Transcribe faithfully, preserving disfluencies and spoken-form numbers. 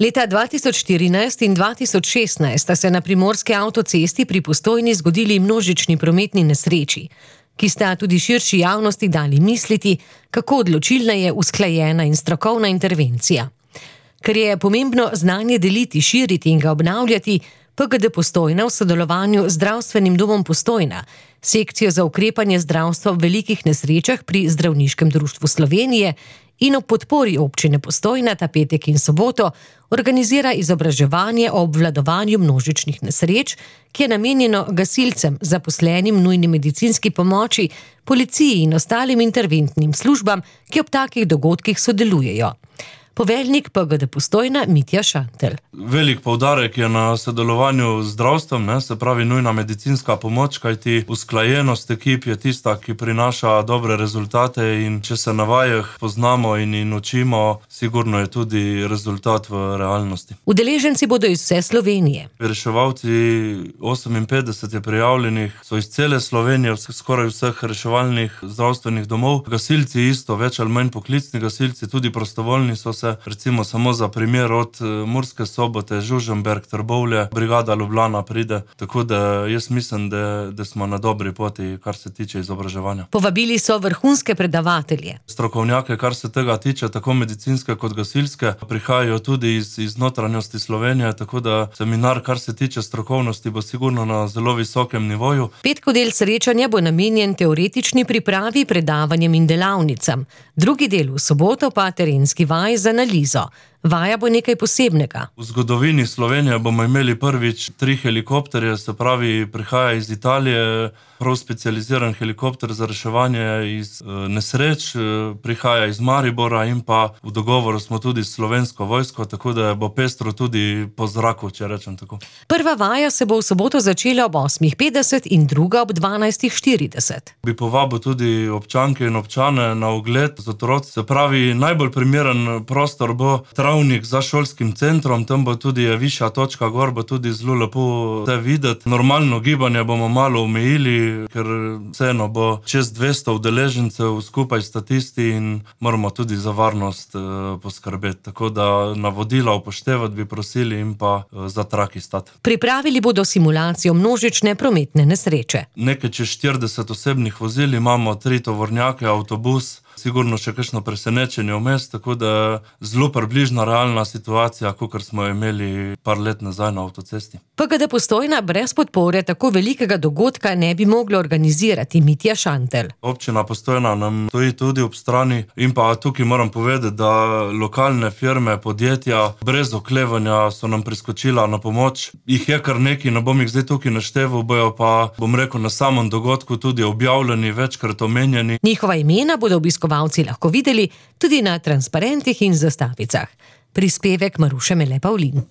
Leta dva tisoč štirinajst in dva tisoč šestnajst sta se na primorski avtocesti pri Postojni zgodili množični prometni nesreči, ki sta tudi širši javnosti dali misliti, kako odločilna je usklajena in strokovna intervencija. Ker je pomembno znanje deliti, širiti in ga obnavljati, P G D Postojna v sodelovanju z Zdravstvenim domom Postojna, sekcijo za ukrepanje zdravstva v velikih nesrečah pri Zdravniškem društvu Slovenije in ob podpori občine Postojna ta petek in soboto organizira izobraževanje o obvladovanju množičnih nesreč, ki je namenjeno gasilcem, zaposlenim v nujni medicinski pomoči, policiji in ostalim interventnim službam, ki ob takih dogodkih sodelujejo. Poveljnik P G D Postojna Mitja Šantl. Velik poudarek je na sodelovanju z zdravstvom, ne, se pravi nujna medicinska pomoč, kajti usklajenost ekip je tista, ki prinaša dobre rezultate in če se na vajah poznamo in, in učimo, sigurno je tudi rezultat v realnosti. Udeleženci bodo iz vse Slovenije. Reševalci, oseminpetdeset je prijavljenih, so iz cele Slovenije, skoraj vseh reševalnih zdravstvenih domov. Gasilci isto, več ali manj poklicni gasilci, tudi prostovoljni so se, recimo samo za primer od Murske Sobote, Žužemberk, Trbovlje, brigada Ljubljana pride, tako da jaz mislim, da, da smo na dobri poti, kar se tiče izobraževanja. Povabili so vrhunske predavatelje. Strokovnjake, kar se tega tiče, tako medicinske kot gasilske, prihajajo tudi iz, iz notranjosti Slovenije, tako da seminar, kar se tiče strokovnosti, bo sigurno na zelo visokem nivoju. Petkov del srečanja bo namenjen teoretični pripravi, predavanjem in delavnicam. Drugi del v soboto pa terenski vaj za analizo. Vaja bo nekaj posebnega. V zgodovini Slovenije bomo imeli prvič tri helikopterje, se pravi, prihaja iz Italije prav specializiran helikopter za reševanje iz e, nesreč, e, prihaja iz Maribora in pa v dogovoru smo tudi s Slovensko vojsko, tako da bo pestro tudi po zraku, če rečem tako. Prva vaja se bo v soboto začela ob osmih petdeset in druga ob dvanajstih štirideset. Bi povabil tudi občanke in občane na ogled z otroci, se pravi, najbolj primeren prostor bo travnik za šolskim centrom, tam bo tudi višja točka gor, bo tudi zelo lepo te videti. Normalno gibanje bomo malo omejili, ker vseeno bo čez dvesto udeležencev skupaj statisti in moramo tudi za varnost eh, poskrbeti. Tako da navodila upoštevati bi prosili in pa eh, za traki stati. Pripravili bodo simulacijo množične prometne nesreče. Nekaj čez štirideset osebnih vozil imamo, tri tovornjake, avtobus, sigurno še kakšno presenečenje vmes, tako da zelo približna realna situacija, kakor smo imeli par let nazaj na avtocesti. P G D Postojna brez podpore tako velikega dogodka ne bi moglo organizirati, Mitja Šantl. Občina Postojna nam stoji tudi ob strani in pa tukaj moram povedati, da lokalne firme, podjetja brez oklevanja so nam priskočila na pomoč. Jih je kar nekaj, ne bom jih zdaj tukaj našteval, bojo pa, bom rekel, na samem dogodku tudi objavljeni, večkrat omenjeni. Njihova imena bodo obiskovalci lahko videli tudi na transparentih in zastavicah. Prispevek Maruše Mele Pavlin.